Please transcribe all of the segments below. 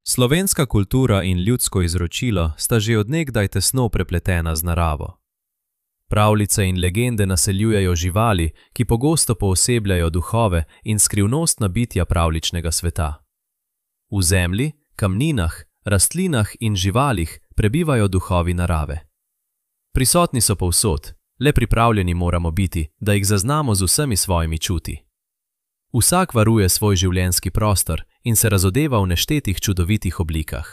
Slovenska kultura in ljudsko izročilo sta že od nekdaj tesno prepletena z naravo. Pravljice in legende naseljujejo živali, ki pogosto poosebljajo duhove in skrivnostna bitja pravljičnega sveta. V zemlji, kamninah, rastlinah in živalih prebivajo duhovi narave. Prisotni so povsod, le pripravljeni moramo biti, da jih zaznamo z vsemi svojimi čuti. Vsak varuje svoj življenjski prostor in se razodeva v neštetih čudovitih oblikah.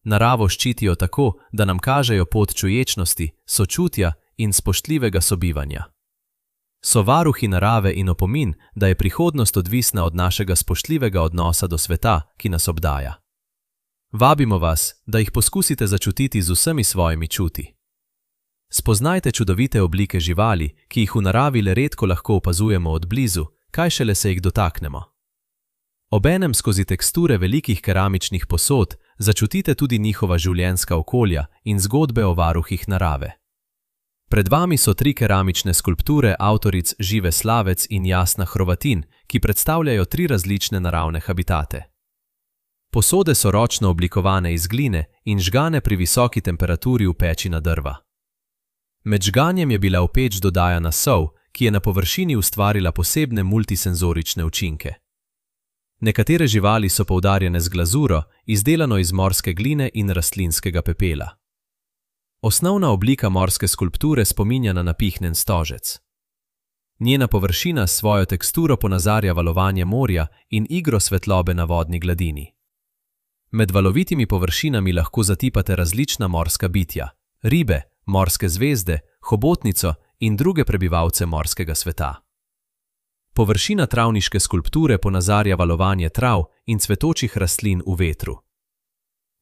Naravo ščitijo tako, da nam kažejo pot čuječnosti, sočutja in spoštljivega sobivanja. So varuhi narave in opomin, da je prihodnost odvisna od našega spoštljivega odnosa do sveta, ki nas obdaja. Vabimo vas, da jih poskusite začutiti z vsemi svojimi čuti. Spoznajte čudovite oblike živali, ki jih v naravi le redko lahko opazujemo od blizu, kaj šele se jih dotaknemo. Obenem skozi teksture velikih keramičnih posod začutite tudi njihova življenjska okolja in zgodbe o varuhih narave. Pred vami so 3 keramične skulpture avtoric Žive Slavec in Jasna Hrovatin, ki predstavljajo 3 različne naravne habitate. Posode so ročno oblikovane iz gline in žgane pri visoki temperaturi v peči na drva. Med žganjem je bila v peč dodajana sol, ki je na površini ustvarila posebne multisenzorične učinke. Nekatere živali so poudarjene z glazuro, izdelano iz morske gline in rastlinskega pepela. Osnovna oblika morske skulpture spominja na napihnjen stožec. Njena površina s svojo teksturo ponazarja valovanje morja in igro svetlobe na vodni gladini. Med valovitimi površinami lahko zatipate različna morska bitja, ribe, morske zvezde, hobotnico in druge prebivalce morskega sveta. Površina travniške skulpture ponazarja valovanje trav in cvetočih rastlin v vetru.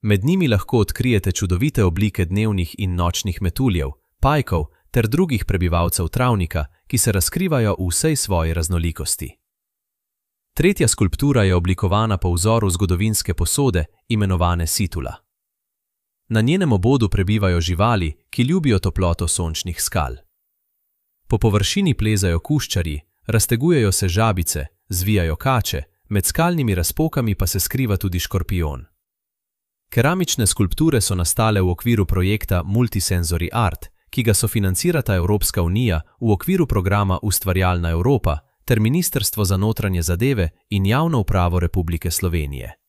Med njimi lahko odkrijete čudovite oblike dnevnih in nočnih metuljev, pajkov ter drugih prebivalcev travnika, ki se razkrivajo v vsej svoji raznolikosti. Tretja skulptura je oblikovana po vzoru zgodovinske posode, imenovane situla. Na njenem obodu prebivajo živali, ki ljubijo toploto sončnih skal. Po površini plezajo kuščarji, raztegujejo se žabice, zvijajo kače, med skalnimi razpokami pa se skriva tudi škorpijon. Keramične skulpture so nastale v okviru projekta Multisensory Art, ki ga sofinancirata Evropska unija v okviru programa Ustvarjalna Evropa ter Ministrstvo za notranje zadeve in javno upravo Republike Slovenije.